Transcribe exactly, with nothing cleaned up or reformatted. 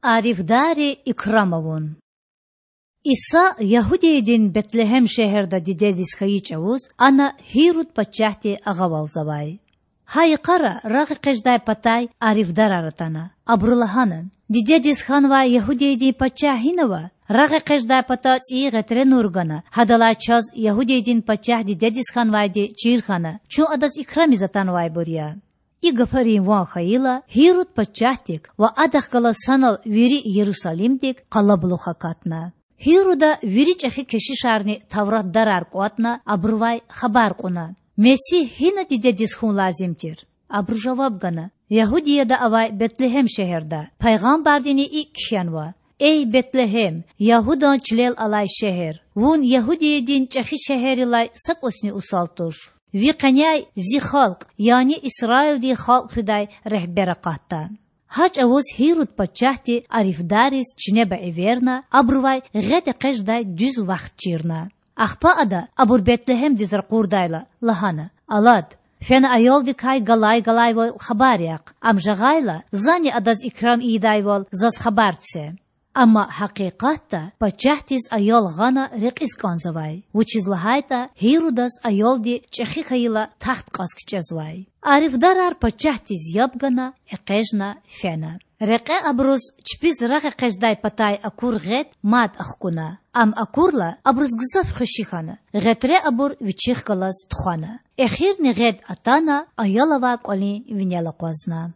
Арифдарри икрам авун. Иса Ягьудиядин Бетлегьем шегьерда дидедиз хьайи чІавуз ана Гьируд пачагьди агъавалзавай. Гьа йикъара рагъэкъечІдай патай арифдарар атана. Абуру лагьана: Дидедиз хьанвай Ягьудиядин пачагь гьинава? РагъэкъечІдай пата цІийи гъетре нур гана, гьадалай чаз Ягьудиядин пачагь дидедиз хьанвайди чир хьана, чун адаз икрамиз атанвайбур я. И гафарин ван хьайила, Гьируд пачагьдик ва адахъ галаз санал вири Ярусалимдик къалабулух акатна. Гьируда вири чІехи кешишарни тавратдарар кІватІна, абурувай хабар кьуна: Месигь гьина дидедиз хьун лазим тир? Абуру жаваб гана: Ягьудияда авай Бетлегьем шегьерда. Пайгъамбардини икІ кхьенва: Эй Бетлегьем, Ягьудан чилел алай шегьер! Вун Ягьудиядин чІехи шегьеррилай са кІусни усал туш. Ви къеняй Зи халкь, яни Исраилдин халкь хуьдай регьбер акъатда. Гьа чІавуз Гьируд пачагьди арифдарриз чинеба эверна, абурувай гъед экъечІдай дуьз вахт чирна. Ахпа ада, абур Бетлегьемдиз ракъурдайла, лагьана: Алад, фена аялдикай галай-галайвал хабар яхъ. Ам жагъайла, зани адаз икрам ийидайвал заз хабар це. Амма гьакъикъатда пачагьдиз аял гъана рекьиз кІанзавай, вучиз лагьайтІа Гьирудаз аялди чІехи хьайила тахт кьаз кичІезвай. Арифдарар пачагьдиз яб гана, экъечІна фена. Рекье абуруз чпиз рагъэкъечІдай патай акур гъед мад ахкуна. Ам акурла, абуруз гзаф хвеши хьана. Гъетре абур вичихъ галаз тухвана. Эхирни гъед атана, аял авай кІвалин винел акъвазна.